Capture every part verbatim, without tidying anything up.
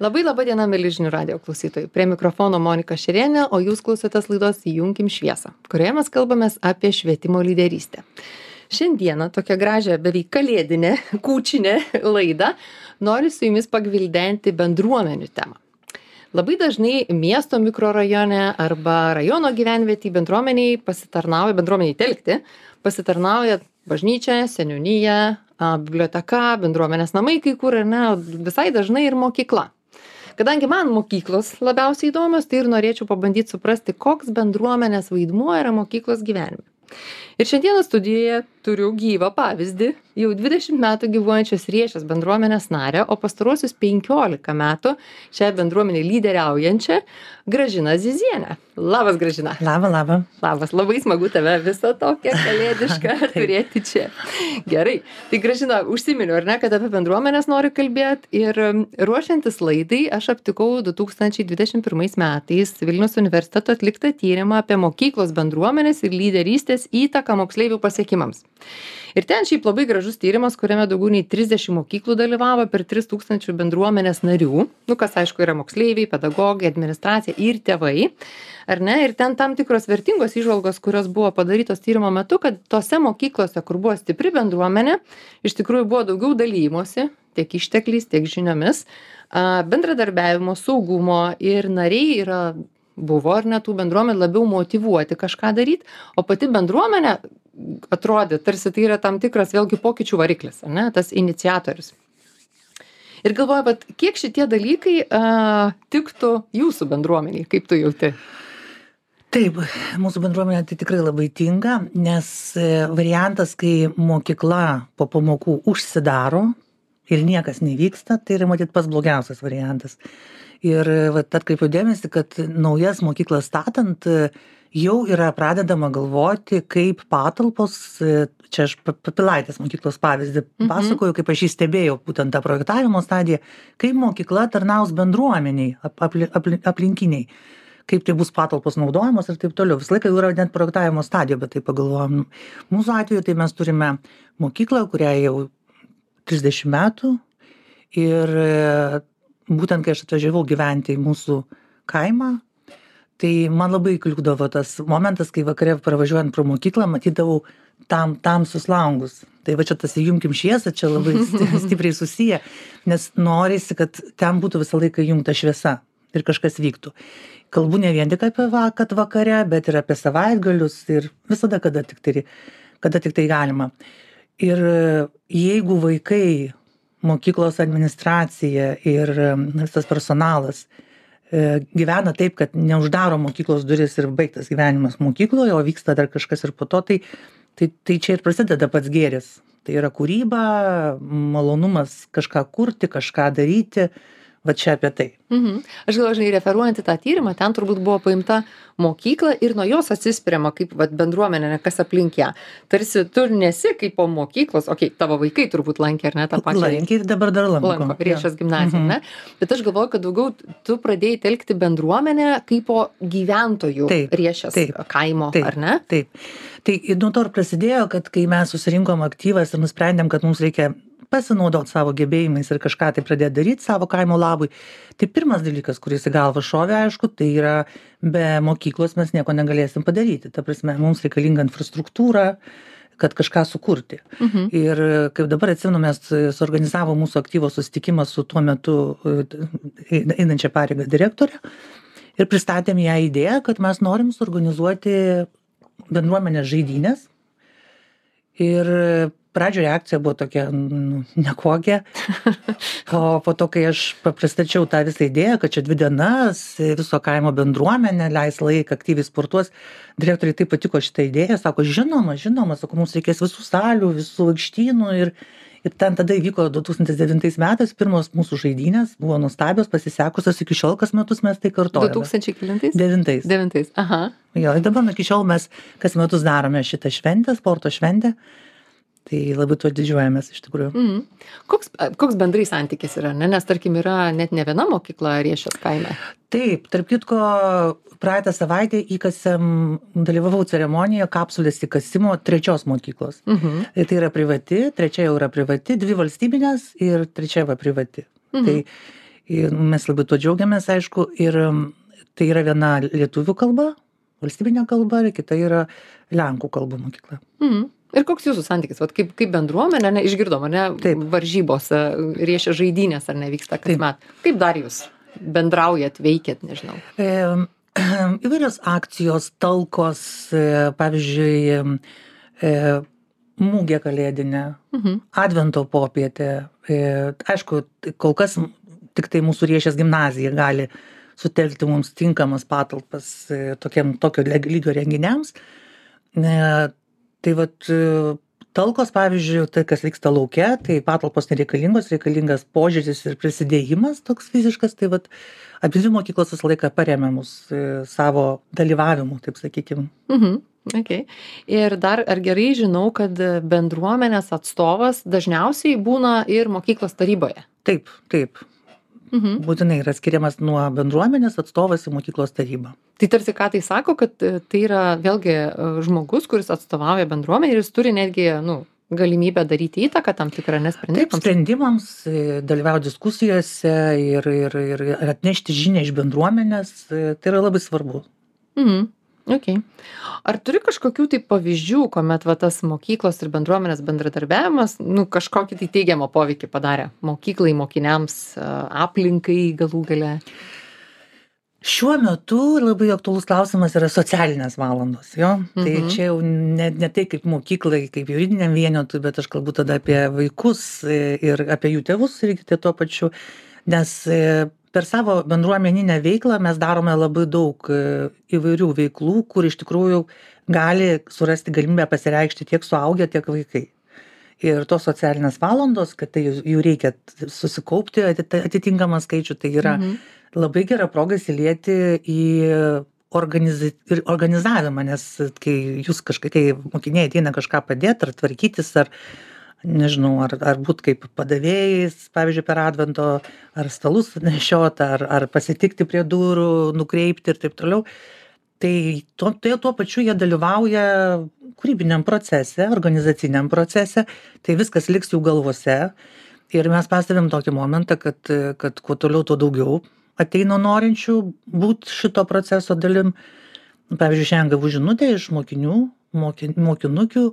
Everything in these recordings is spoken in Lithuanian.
Labai laba diena, mėly žinių radio klausytojai. Prie mikrofono Monika Šerienė, o jūs klausotės laidos Įjunkim šviesą, kurioje mes kalbamės apie švietimo lyderystę. Šiandieną tokią gražią, beveik kalėdinę, kūčinę laidą noriu su jumis pagvildenti bendruomenių temą. Labai dažnai miesto mikrorajone arba rajono gyvenvietėj bendruomeniai pasitarnauja, bendruomeniai telkti, pasitarnauja bažnyčia, seniūnija, biblioteka, bendruomenės namai kai kur, ne, visai dažnai ir mokykla. Kadangi man mokyklos labiausiai įdomios, tai ir norėčiau pabandyti suprasti, koks bendruomenės vaidmuo yra mokyklos gyvenime. Ir šiandieną studijoje turiu gyvą pavyzdį, jau dvidešimt metų gyvuojančios Riešės bendruomenės narę, o pastaruosius penkiolika metų šią bendruomenę lyderiaujančią Gražiną Zizienę. Labas, Gražina. Labą, labą. Labas, labai smagu tave visą tokią kalėdišką turėti čia. Gerai, tai Gražina, užsiminiau, ar ne, kad apie bendruomenės noriu kalbėti ir ruošiantis laidai aš aptikau du tūkstančiai dvidešimt pirmais metais Vilniaus universiteto atliktą tyrimą apie mokyklos bendruomenės ir lyderystės įtaką moksleivių pasiekimams. Ir ten šiaip labai gražus tyrimas, kuriame daugiau nei trisdešimt mokyklų dalyvavo per tris tūkstančius bendruomenės narių, nu kas aišku yra moksleiviai, pedagogai, administracija ir tėvai, ar ne, ir ten tam tikros vertingos įžvalgos, kurios buvo padarytos tyrimo metu, kad tose mokyklose, kur buvo stipri bendruomenė, iš tikrųjų buvo daugiau dalymosi, tiek ištekliais, tiek žiniomis, bendradarbiavimo, saugumo ir nariai yra buvo ar ne tų bendruomenė labiau motyvuoti kažką daryti, o pati bendruomenė atrodė, tarsi tai yra tam tikras vėlgi pokyčių variklis, ar ne, tas iniciatorius. Ir galvoju, bet kiek šitie dalykai a, tiktų jūsų bendruomeniai, kaip tu jauti? Taip, mūsų bendruomenė tai tikrai labai tinka, nes variantas, kai mokykla po pamokų užsidaro ir niekas nevyksta, tai yra matyt pats blogiausias variantas. Ir vat atkreipiu dėmesį, kad naujas mokyklas statant jau yra pradedama galvoti, kaip patalpos, čia aš Pilaitės mokyklos pavyzdį pasakoju, kaip aš jį stebėjau, būtent tą projektavimo stadiją, kaip mokykla tarnaus bendruomeniai, apli, apli, aplinkiniai, kaip tai bus patalpos naudojamos ir taip toliau. Visą laiką jau yra net projektavimo stadijoje, bet tai pagalvojom. Mūsų atveju tai mes turime mokyklą, kuriai jau trisdešimt metų ir būtent kai aš atvažiavau gyventi į mūsų kaimą, tai man labai kliūdavo tas momentas, kai vakare pravažiuojant pro mokyklą, matydavau tam, tamsius langus. Tai va čia tas įjunkim šviesą, čia labai stipriai susiję, nes norisi, kad ten būtų visą laiką įjungta šviesa ir kažkas vyktų. Kalbu ne vien tik apie kad vakare, bet ir apie savaitgalius ir visada, kada tik tai, kada tik tai galima. Ir jeigu vaikai, mokyklos administracija ir visas personalas gyvena taip, kad neuždaro mokyklos duris ir baigtas gyvenimas mokykloje, o vyksta dar kažkas ir po to, tai, tai, tai čia ir prasideda pats gėris. Tai yra kūryba, malonumas kažką kurti, kažką daryti, va čia apie tai. Mhm. Aš galvoju, žinai, referuojant į tą tyrimą, ten turbūt buvo paimta mokykla ir nuo jos atsispiriama kaip vat, bendruomenė, kas aplink ją. Tarsi tu nesi kaip po mokyklos, okei, okay, tavo vaikai turbūt lankė, ar ne, tą pačią. Lankė ir dabar dar lanko. Lanko, Riešės gimnaziją, mhm. ne? Bet aš galvoju, kad daugiau tu pradėjai telkti bendruomenę kaip po gyventojų taip, Riešės taip, kaimo, taip, ar ne? Taip. Tai nuo to ir prasidėjo, kad kai mes susirinkom aktyvas ir nusprendėm, kad mums reikia pasinaudoti savo gebėjimais ir kažką tai pradėti daryti savo kaimo labui. Tai pirmas dalykas, kuris į galvą šovė, aišku, tai yra be mokyklos mes nieko negalėsim padaryti. Ta prasme, mums reikalinga infrastruktūra, kad kažką sukurti. Mhm. Ir kaip dabar atsimenu, mes suorganizavo mūsų aktyvo susitikimą su tuo metu einančia pareigą direktorė ir pristatėm ją idėją, kad mes norim suorganizuoti bendruomenės žaidynės. Ir pradžio reakcija buvo tokia nu, nekokia, o po to, kai aš pristačiau tą visą idėją, kad čia dvi dienas viso kaimo bendruomenė leis laiką, aktyviai sportuos, direktoriai taip patiko šitą idėją, sako, žinoma, žinoma, sako, mums reikės visų salių, visų aikštynų ir, ir ten tada įvyko du tūkstančiai devintais metais, pirmos mūsų žaidynės, buvo nuostabios, pasisekusios, iki šiol kas metus mes tai kartojame. du tūkstančiai kelintais? Devintais. Devintais, aha. Jo, ir dabar iki šiol mes kas metus darome šitą šventę, sporto šventę. Tai labai tuo didžiuojamės iš tikrųjų. Mm. Koks, koks bendrai santykis yra, ne? Nes tarkim yra net ne viena mokykla Riešės kaime. Taip, tarp kitko, praeitą savaitę įkasėm, dalyvavau ceremonijoje kapsulės įkasimo trečios mokyklos. Mhm. Tai yra privati, trečia jau yra privati, dvi valstybinės ir trečia va privati. Mhm. Tai Ir mes labai tuo džiaugiamės, aišku, ir tai yra viena lietuvių kalba, valstybinė kalba, ir kita yra lenkų kalbų mokykla. Mhm. Ir koks jūsų santykis, vat kaip, kaip bendruomenė, ne, išgirdom, ar ne, Taip. varžybos, riešia žaidynės, ar nevyksta kasmet. Kaip dar jūs bendraujat, veikiat, nežinau? E, įvairios akcijos, talkos, e, pavyzdžiui, e, mūgė kalėdinė, mhm. advento popietė. E, aišku, kol kas tik tai mūsų Riešės gimnazija gali sutelkti mums tinkamas patalpas e, tokiam, tokio lygio renginiams. E, tai vat, talkos, pavyzdžiui, tai kas vyksta lauke, tai patalpos nereikalingos, reikalingas požiūris ir prisidėjimas toks fiziškas, tai vat abi mokyklos visą laiką paremia mus e, savo dalyvavimu, taip sakykim. Mhm. Okay. Ir dar, ar gerai žinau, kad bendruomenės atstovas dažniausiai būna ir mokyklos taryboje? Taip, taip. Mhm. Būtinai yra skiriamas nuo bendruomenės atstovas į mokyklos tarybą. Tai tarsi ką tai sako, kad tai yra vėlgi žmogus, kuris atstovauja bendruomenę ir jis turi netgi, nu, galimybę daryti įtaką tam tikrą nesprendimams. Taip, sprendimams, dalyvauti diskusijose ir, ir, ir atnešti žinią iš bendruomenės, tai yra labai svarbu. Mhm. Okay. Ar turi kažkokių tai pavyzdžių, kuomet va, tas mokyklos ir bendruomenės bendradarbiavimas, nu, kažkokį tai teigiamą poveikį padarė mokyklai, mokiniams, aplinkai galų gale? Šiuo metu labai aktualus klausimas yra socialinės valandos, jo. Mhm. Tai čia jau ne, ne tai kaip mokyklai, kaip juridiniam vienetui, bet aš kalbu tada apie vaikus ir apie jų tėvus irgi tuo pačiu, nes per savo bendruomeninę veiklą mes darome labai daug įvairių veiklų, kur iš tikrųjų gali surasti galimybę pasireikšti tiek suaugę, tiek vaikai. Ir tos socialinės valandos, kad tai jų reikia susikaupti atitinkamą skaičių, tai yra mhm. labai gera proga įsilieti į organiz... organizavimą, nes kai jūs kažkai, kai mokiniai ateina kažką padėti, ar tvarkytis, ar nežinau, ar, ar būt kaip padavėjais, pavyzdžiui, per advento, ar stalus nešiot, ar, ar pasitikti prie durų, nukreipti ir taip toliau. Tai tuo, tai tuo pačiu jie dalyvauja kūrybiniam procese, organizaciniam procese, tai viskas liks jų galvose. Ir mes pastebėm tokį momentą, kad, kad kuo toliau, tuo daugiau ateina norinčių būt šito proceso dalim. Pavyzdžiui, šiandien gavau žinutę iš mokinių, mokin, mokinukių,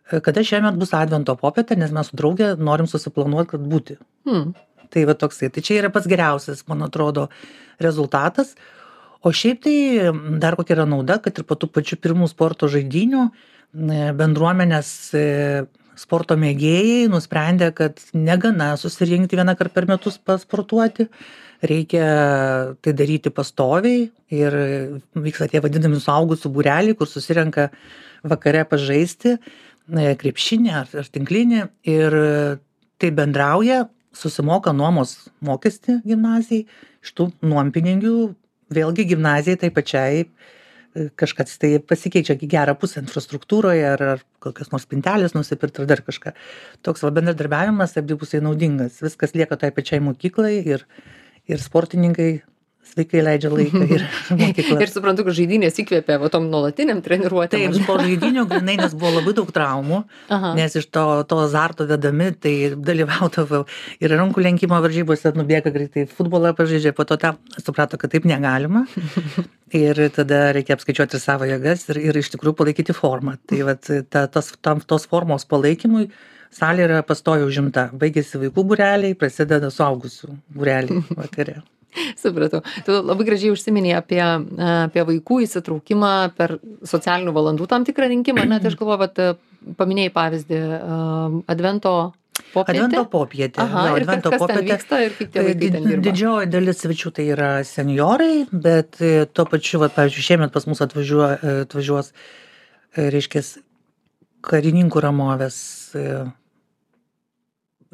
kada šiemet bus advento popietė, nes mes su draugė norim susiplanuoti, kad būti. Hmm. Tai va toksai. Tai čia yra pats geriausias, man atrodo, rezultatas. O šiaip tai dar kokia yra nauda, kad ir po tų pačių pirmų sporto žaidynių bendruomenės sporto mėgėjai nusprendė, kad negana susirinkti vieną kartą per metus pasportuoti, reikia tai daryti pastoviai ir vyksta tie vadinami suaugusių būreliai, kur susirenka vakare pažaisti krepšinį ar, ar tinklinį ir tai bendrauja, susimoka nuomos mokestį gimnazijai, iš tų nuompinigių vėlgi gimnazijai tai pačiai kažkas tai pasikeičia į gerą pusę infrastruktūroje ar, ar kokios nors spintelės nusipirkti ar dar kažką. Toks va bendradarbiavimas abipusiai naudingas. Viskas lieka tai pačiai mokyklai ir, ir sportininkai sveikai leidžia laiką ir mokykla. Ir suprantu, kad žaidynės įkvėpė va tom nuolatiniam treniruotėm. Taip, po žaidinių grinai, nes buvo labai daug traumų, aha. Nes iš to, to azarto vedami, tai dalyvaudavau ir rankų lenkimo varžybose nubėga greitai, futbolą pažaidžia, po to tą suprato, kad taip negalima. Ir tada reikia apskaičiuoti savo jėgas ir, ir iš tikrųjų palaikyti formą. Tai vat, ta, tos, tam, tos formos palaikymui salė yra pastoviai užimta. Baigėsi vaikų būreliai, prasideda suaugusių būreliai vakare. Supratau. Tu labai gražiai užsiminėjai apie, apie vaikų įsitraukimą per socialinių valandų tam tikrą rinkimą. Na, tai aš galvoju, kad paminėjai pavyzdį advento popietė. Advento popietė. Aha, jo, ir advento kas popietė. Ten vyksta ir kaip tie vaikai ten dirba. Didžioji dalis svečių tai yra senjorai, bet tuo pačiu, va, pavyzdžiui, šiemet pas mus atvažiuos, atvažiuos reiškia, karininkų Ramovės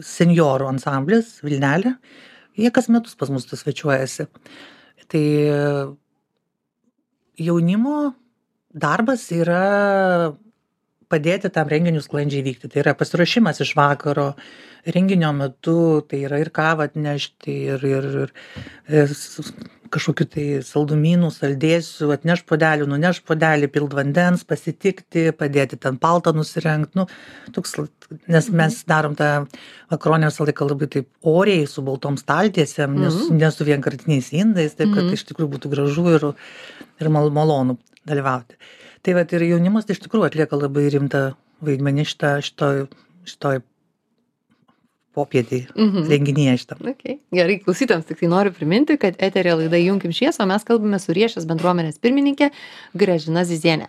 senjorų ansamblis Vilnelė. Jie kas metus pas mus svečiuojasi. Tai jaunimo darbas yra padėti tam renginiui sklandžiai vykti. Tai yra pasiruošimas iš vakaro, renginio metu, tai yra ir kavą atnešti, ir, ir, ir kažkokių tai saldumynų, saldėsių, atneš puodelį, nuneš puodelį, pild vandens, pasitikti, padėti ten paltą nusirengti. Nu, toks, nes mes darom tą makaronę visą laiką labai taip oriai, su baltom staltiesėm, nes, Mhm. ne su vienkartiniais indais, taip kad Mhm. iš tikrųjų būtų gražu ir, ir mal, malonu dalyvauti. Tai vat ir jaunimas tai iš tikrųjų atlieka labai rimtą vaidmenį šitą, šitoj, šitoj popietį Mhm. renginyje šitą. Okay. Gerai, klausytams tik tai noriu priminti, kad eterė laida Junkim šviesą, o mes kalbame su Riešės bendruomenės pirmininkė Gražina Zizienė.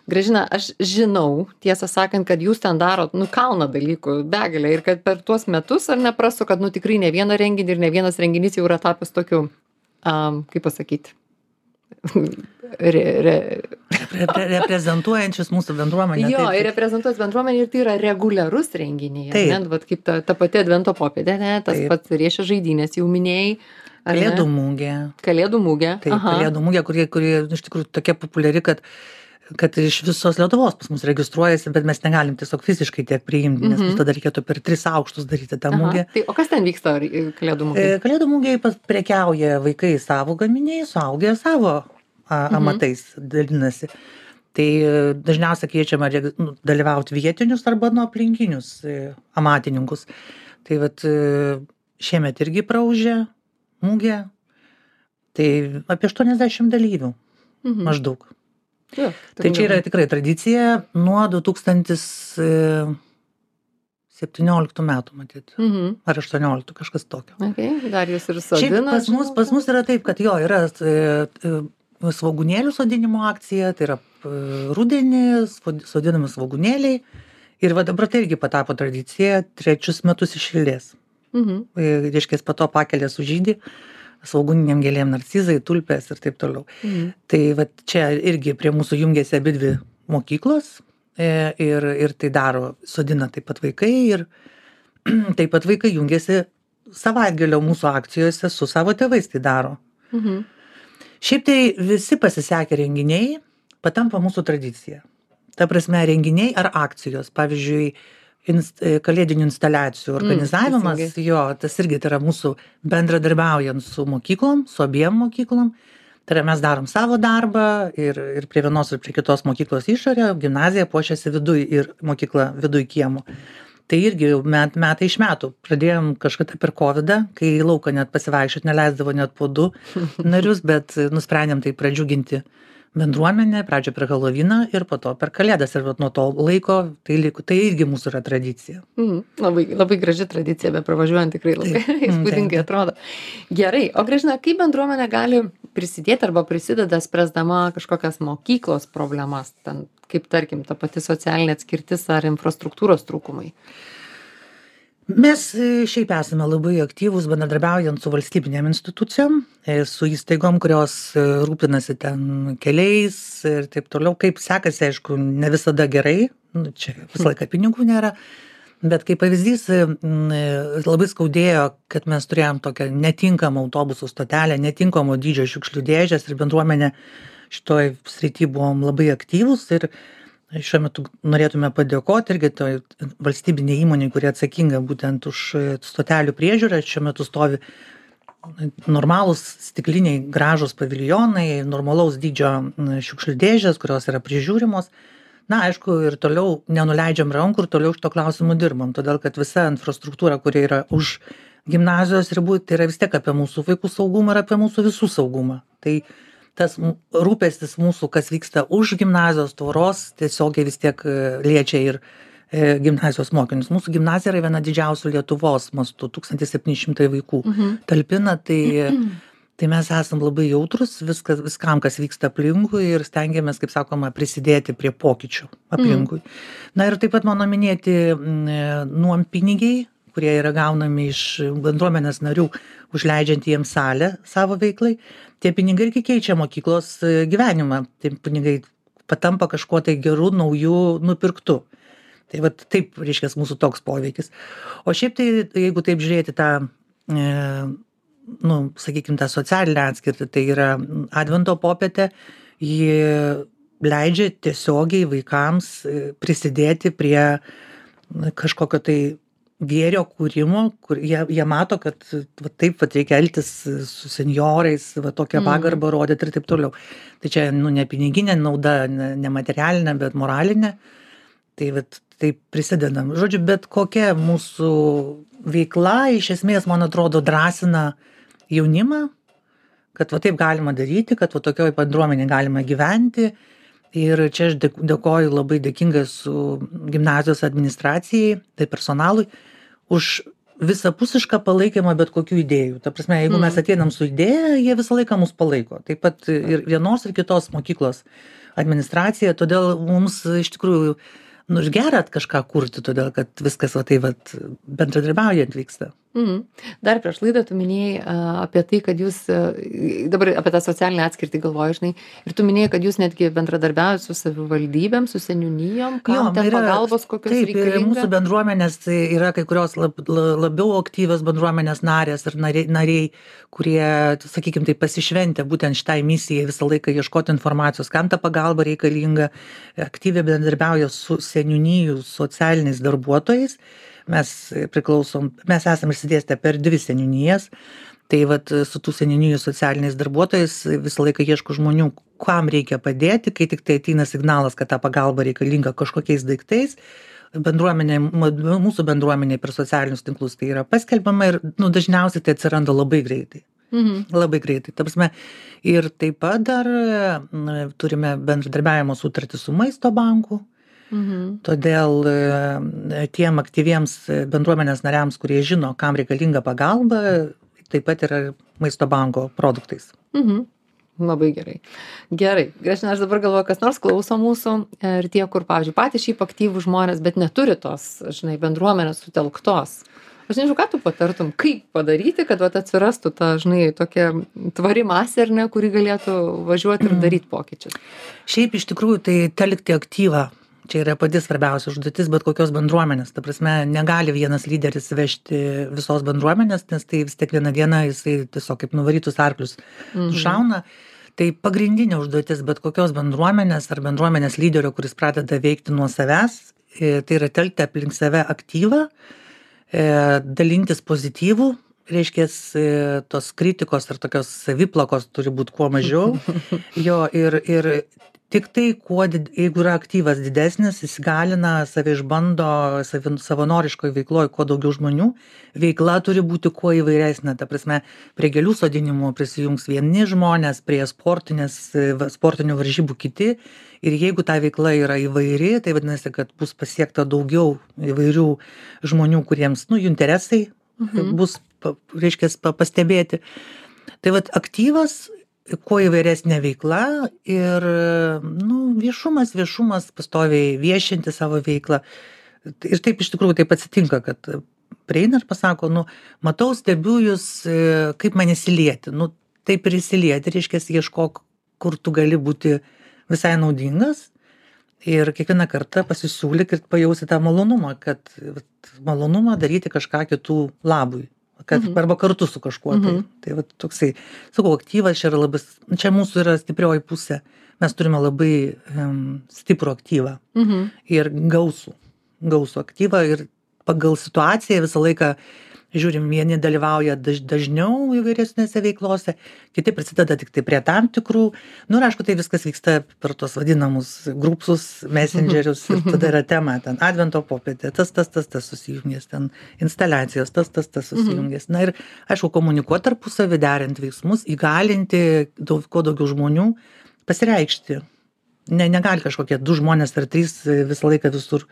Gražina, aš žinau, tiesą sakant, kad jūs ten darot, nu, kalną dalykų, begalę, ir kad per tuos metus, ar neprasu, kad, nu, tikrai ne vieną renginį ir ne vienas renginys jau yra tapęs tokiu, um, kaip pasakyti, re, re, Repre, reprezentuojančius mūsų bendruomenę. jo, taip, ir reprezentuos bendruomenį, ir tai yra reguliarus renginiai. Taip. Ne, vat kaip ta, ta pati Advento popietė, ne, tas Taip. pats Riešės žaidynės jau minėjai. ar ne? Kalėdų mūgė. Kalėdų mūgė. Taip, Aha. kalėdų mūgė, kurie, kurie iš tikrųjų tokia populiari, kad, kad iš visos Lietuvos pas mus registruojasi, bet mes negalim tiesiog fiziškai tiek priimti, nes Mhm. tada reikėtų per tris aukštus daryti tą Aha. mūgę. Tai, o kas ten vyksta ar- Kalėdų mūgė? E, Kalėdų mūgiai prekiauja vaikai savo gaminiai, suaugę savo a, Mhm. amatais dalinasi. Tai e, dažniausiai kviečiama regi- nu, dalyvauti vietinius arba nuo aplinkinius e, amatininkus. Tai vat e, šiemet irgi praužė mūgė. Tai apie aštuoniasdešimt dalyvių Mhm. maždaug. Jo, Tai čia yra tikrai tradicija nuo du tūkstantis septynioliktų metų, matyt. Mhm. Ar aštuonioliktų, kažkas tokio. Okay. Dar jūs ir Šiaip sodinat. pas mus, žinau, pas mus yra taip, kad jo, yra e, e, svogūnėlių sodinimo akcija, tai yra e, rudenį svod- sodinami svogūnėliai. Ir va dabar tai irgi patapo tradicija trečius metus iš eilės. Mhm. E, Reiškia, po to pakelė sužydį, svogūniniam gėlėm narcizai, tulpės ir taip toliau. Mhm. Tai va čia irgi prie mūsų jungiasi abidvi mokyklos e, ir, ir tai daro, sodina taip pat vaikai ir taip pat vaikai jungiasi savaitgalio mūsų akcijose su savo tėvais tai daro. Mhm. Šiaip tai visi pasisekę renginiai patampa mūsų tradicija. Ta prasme, renginiai ar akcijos, pavyzdžiui, inst, kalėdinių instaliacijų organizavimas, teisingai. mm, jo, tas irgi tai yra mūsų bendradarbiaujant su mokyklom, su abiem mokyklom. Tai yra mes darom savo darbą ir, ir prie vienos ir prie kitos mokyklos išorė, gimnazija puošiasi viduj ir mokykla viduj kiemo. Tai irgi jau met, metai iš metų. Pradėjom kažkada per kovidą, kai į lauką net pasivaikščiot neleisdavo net po du narius, bet nusprendėm tai pradžiuginti bendruomenę, pradžio per Halovyną ir po to per Kalėdas. Ir vat nuo to laiko tai, liko, tai irgi mūsų yra tradicija. Mhm. Labai, labai graži tradicija, be pravažiuojant tikrai labai Taip. Mm, įspūdingai taip. atrodo. Gerai, o Gražina, kaip bendruomenė gali prisidėti arba prisideda spręsdama kažkokias mokyklos problemas, ten, kaip tarkim, ta pati socialinė atskirtis ar infrastruktūros trūkumai? Mes e, šiaip esame labai aktyvūs bendradarbiaujant su valstybinėm institucijom, e, su įstaigom, kurios e, rūpinasi ten keliais ir taip toliau. Kaip sekasi, aišku, ne visada gerai, nu, čia visą laiką pinigų nėra, bet kaip pavyzdys, e, m, e, labai skaudėjo, kad mes turėjom tokią netinkamą autobusų stotelę, netinkamo dydžio šiukšlių dėžės ir bendruomenė šitoj srity buvom labai aktyvūs ir šiuo metu norėtume padėkoti irgi toj valstybinei įmonei, kurie atsakinga būtent už stotelių priežiūrą. Šiuo metu stovi normalūs stikliniai gražūs paviljonai, normalaus dydžio šiukšlių dėžės, kurios yra prižiūrimos. Na, aišku, ir toliau nenuleidžiam rankų ir toliau šito klausimu dirbam, todėl kad visa infrastruktūra, kuri yra už gimnazijos ribų, tai yra vis tiek apie mūsų vaikų saugumą ir apie mūsų visų saugumą. Tai tas rūpestis mūsų, kas vyksta už gimnazijos tvoros, tiesiogiai vis tiek liečia ir e, gimnazijos mokinius. Mūsų gimnazija yra viena didžiausių Lietuvos mastų, tūkstantis septyni šimtai vaikų Mhm. talpina, tai, tai mes esam labai jautrus viskas, viskam, kas vyksta aplinkui ir stengiamės, kaip sakoma, prisidėti prie pokyčių aplinkui. Na ir taip pat mano minėti mm, nuompinigiai, kurie yra gaunami iš bendruomenės narių, užleidžiant jiems salę savo veiklai. Tie pinigai irgi keičia mokyklos e, gyvenimą. Tie pinigai patampa kažkuo tai gerų, naujų, nupirktų. Tai va taip, reiškia, mūsų toks poveikis. O šiaip tai, jeigu taip žiūrėti tą, e, nu, sakykime, tą socialinę atskirtį, tai yra Advento popietė, ji leidžia tiesiogiai vaikams e, prisidėti prie kažkokio tai gėrio kūrimo, kur jie, jie mato, kad va, taip va, reikia elgtis su senjorais, va, tokią Mm. pagarbą rodyti ir taip toliau. Tai čia nu, ne piniginė nauda, ne, ne materialinė, bet moralinė. Tai vat, taip prisidedam. Žodžiu, bet kokia mūsų veikla iš esmės, man atrodo, drąsina jaunimą, kad va taip galima daryti, kad va tokioj bendruomenė galima gyventi. Ir čia aš dėk- dėkoju labai dėkinga su gimnazijos administracijai, tai personalui, už visapusišką palaikymą bet kokių idėjų. Ta prasme, jeigu mes ateinam su idėja, jie visą laiką mus palaiko. Taip pat ir vienos ir kitos mokyklos administracija, todėl mums iš tikrųjų, nu, ir gera kažką kurti, todėl kad viskas va tai va bendradarbiaujant vyksta. Mhm. Dar prieš laidą tu minėjai a, apie tai, kad jūs, a, dabar apie tą socialinę atskirtį galvoju, žinai, ir tu minėjai, kad jūs netgi bendradarbiaujate su savivaldybėm, su seniūnijom, kam Jo, ten yra- pagalbos kokios Taip, ir reikalinga. mūsų bendruomenės tai yra kai kurios lab, la- labiau aktyvios bendruomenės narės ir nariai, nariai kurie, sakykime, tai pasišventę būtent šitai misijai visą laiką ieškoti informacijos, kam ta pagalba reikalinga, aktyviai bendradarbiauja su seniūnijų socialiniais darbuotojais. Mes priklausom, mes esame išsidėstę per dvi seniūnijas, tai vat su tų seniūnijų socialiniais darbuotojais visą laiką ieško žmonių, kam reikia padėti, kai tik tai ateina signalas, kad ta pagalba reikalinga kažkokiais daiktais. Bendruomenė, mūsų bendruomenė per socialinius tinklus tai yra paskelbiama ir nu, dažniausiai tai atsiranda labai greitai. Mhm. Labai greitai. Ta prasme, ir taip pat dar na, turime bendradarbiavimo sutartį su Maisto banku. Mhm. Todėl e, tiem aktyviems bendruomenės nariams, kurie žino, kam reikalinga pagalba, taip pat yra Maisto banko produktais. Mhm. Labai gerai. Gerai. Gražina, aš dabar galvoju, kas nors klauso mūsų ir tie, kur, pavyzdžiui, patys šiaip aktyvų žmonės, bet neturi tos, žinai, bendruomenės sutelktos. Aš nežinau, ką tu patartum, kaip padaryti, kad vat, atsirastų ta, žinai, tokia tvari masė, ar ne, kuri galėtų važiuoti ir daryti pokyčius. Šiaip iš tikrųjų tai telkti aktyvą. Čia yra pati svarbiausia užduotis bet kokios bendruomenės. Ta prasme, negali vienas lyderis vežti visos bendruomenės, nes tai vis tiek vieną dieną jisai tiesiog kaip nuvarytus arklius Mhm. šauna. Tai pagrindinė užduotis bet kokios bendruomenės ar bendruomenės lyderio, kuris pradeda veikti nuo savęs, e, tai yra telkti aplink save aktyvą, e, dalintis pozityvų, reiškia, tos kritikos ar tokios saviplakos turi būti kuo mažiau. Jo, ir, ir tik tai, kuo, did- jeigu yra aktyvas didesnis, jis galina, save išbando savi- savanoriškoj veikloj kuo daugiau žmonių. Veikla turi būti kuo įvairesnė. Ta prasme, prie gėlių sodinimo prisijungs vieni žmonės, prie sportinės, e, va- sportinių varžybų kiti. Ir jeigu ta veikla yra įvairi, tai vadinasi, kad bus pasiekta daugiau įvairių žmonių, kuriems, nu, jų interesai Mhm. bus, pa- reiškia, pa- pastebėti. Tai vat aktyvas, kuo įvairesnė veikla ir, nu, viešumas, viešumas, pastoviai viešinti savo veiklą. Ir taip iš tikrųjų taip atsitinka, kad prieina ir pasako, nu, matau, stebiu jūs, e, kaip man įsilieti. Nu, taip ir įsilieti, reiškia, ieškok, kur tu gali būti visai naudingas. Ir kiekvieną kartą pasisiūlyk ir pajausi tą malonumą, kad vat, malonumą daryti kažką kitų labui. Kad, Mhm. arba kartu su kažkuo. Tai, Mhm. tai va, toksai, sakau, aktyvas čia yra labai, čia mūsų yra stiprioji pusė. Mes turime labai um, stiprų aktyvą Mhm. ir gausų, gausų aktyvą ir pagal situaciją visą laiką žiūrim, vieni dalyvauja daž, dažniau įvairesnėse veiklose, kiti prisideda tik tai prie tam tikrų. Nu ir aišku, tai viskas vyksta per tos vadinamus grupsus, messengerius ir tada yra tema, ten advento popietė, tas, tas, tas, tas susijungęs, ten instaliacijos, tas, tas, tas susijungęs. Na ir aišku, komunikuoti tarpusavį, derinti veiksmus, įgalinti daug, kuo daugiau žmonių, pasireikšti. Ne, negali kažkokie du žmonės ar trys visą laiką visur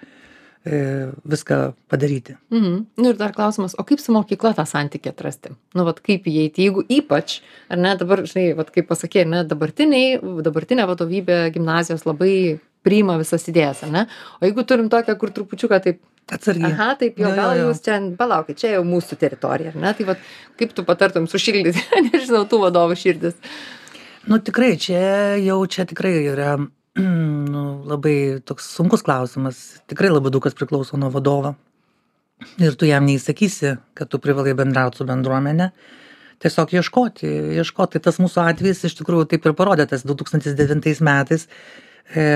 e, viską padaryti. Mhm. Nu ir dar klausimas, o kaip su mokykla tą santykį atrasti? Nu, vat kaip įeiti, jeigu ypač, ar ne, dabar, žinai, vat kaip pasakė, ne, dabartiniai, dabartinė vadovybė gimnazijos labai priima visas idėjas, ar ne? O jeigu turim tokią, kur trupučiuką taip, Atsargiai. aha, taip jau, Jo, jo, gal jo. jūs čia, palaukit, čia jau mūsų teritorija, ar ne? Tai vat kaip tu patartum sušildyti, nežinau, tų vadovų širdis. Nu tikrai, čia jau čia tikrai yra nu, labai toks sunkus klausimas. Tikrai labai daug kas priklauso nuo vadovo. Ir tu jam neįsakysi, kad tu privalai bendrauti su bendruomenė. Tiesiog ieškoti, ieškoti. Tas mūsų atvejis iš tikrųjų taip ir parodė, tas du tūkstantis devintais metais. E,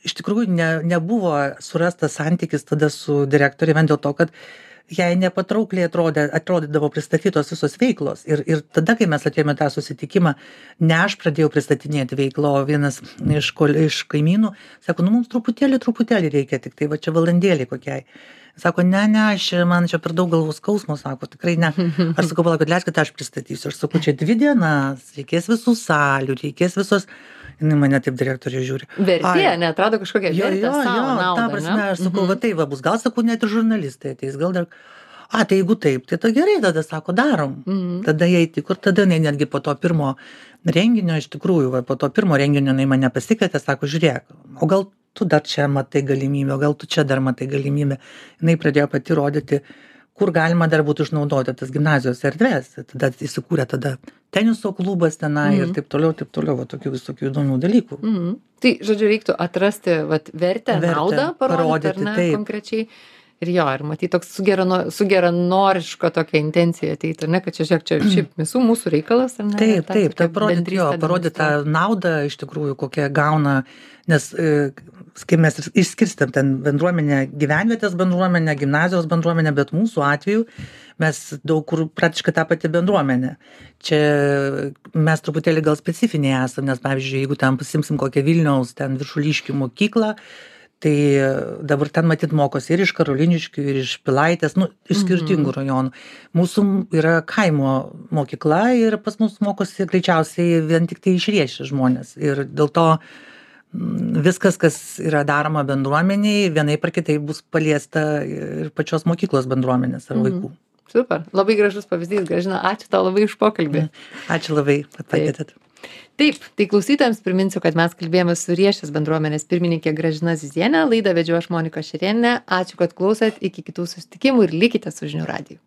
iš tikrųjų ne nebuvo surastas santykis tada su direktore vien dėl to, kad jai nepatraukliai atrodė atrodydavo pristatytos visos veiklos. Ir ir tada, kai mes atėjome tą susitikimą, ne aš pradėjau pristatinėti veiklą, o vienas iš kol iš kaimynų sako: "Nu, mums truputėlį, truputėlį reikia, tik tai va čia valandėlei kokiai." Sako: "Ne, ne, aš čia, man čia per daug galvos skausmo," sako, "tikrai ne." Aš sakau: "Palaukit, leiskit, aš pristatysiu." Aš sakau: "Čia dvi dienas, reikės visų salių, reikės visos..." Jinai mane taip direktorė žiūri. Vertė, neatrado kažkokią Jo, vertę jo, savo jo, ta naudą, prasme, ne? aš sakau, va tai va bus, gal sakau, net ir žurnalistai ateis, gal dar, a, tai jeigu taip, tai tada gerai, tada sako, darom. Mhm. Tada jai tiko, ir tada jinai netgi po to pirmo renginio, iš tikrųjų, va, po to pirmo renginio jinai mane pasikvietė, sako: "Žiūrėk, o gal tu dar čia matai galimybę, o gal tu čia dar matai galimybę." Jinai pradėjo pati rodyti, kur galima dar būtų išnaudoti tas gimnazijos erdves. Tada įsikūrė tada teniso klubas tenai ir taip toliau, taip toliau, va, tokių visokių įdomių dalykų. Mhm. Tai, žodžiu, reiktų atrasti vat, vertę, Vertę, naudą parodyti, parodyti, ar ne, taip. konkrečiai. Ir jo, ir matyt, toks su, gerano, su geranoriško tokia intencija ateiti, ar ne, kad čia, žiūrėk, čia šiaip visų mūsų reikalas, ar ne? Taip, Ta taip, tokia tai parodyti, jo, bendrystę parodyti tą demonstruoti. naudą iš tikrųjų, kokią gauna, nes, e, kai mes išskirstėm ten bendruomenę, gyvenvietės bendruomenę, gimnazijos bendruomenę, bet mūsų atveju mes daug kur praktiškai tą patį bendruomenę. Čia mes truputėlį gal specifiniai esame, nes, pavyzdžiui, jeigu ten pasimsim kokią Vilniaus, ten Viršuliškių mokyklą, tai dabar ten matyt mokosi ir iš Karoliniškių, ir iš Pilaitės, nu, iš skirtingų rajonų. Mūsų yra kaimo mokykla ir pas mus mokosi greičiausiai vien tik tai iš Riešės žmonės. Ir dėl to mm, viskas, kas yra daroma bendruomeniai, vienaip ar kitaip bus paliesta ir pačios mokyklos bendruomenės ar vaikų. Super, labai gražus pavyzdys, Gražina, ačiū tau labai už pokalbį. Ačiū labai, kad pakvietėt. Taip, tai klausytojams priminsiu, kad mes kalbėjome su Riešės bendruomenės pirmininkė Gražina Zizienė, laidą vedžiau aš Monika Šerėnienė. Ačiū, kad klausėt, iki kitų susitikimų ir likite su Žinių radiju.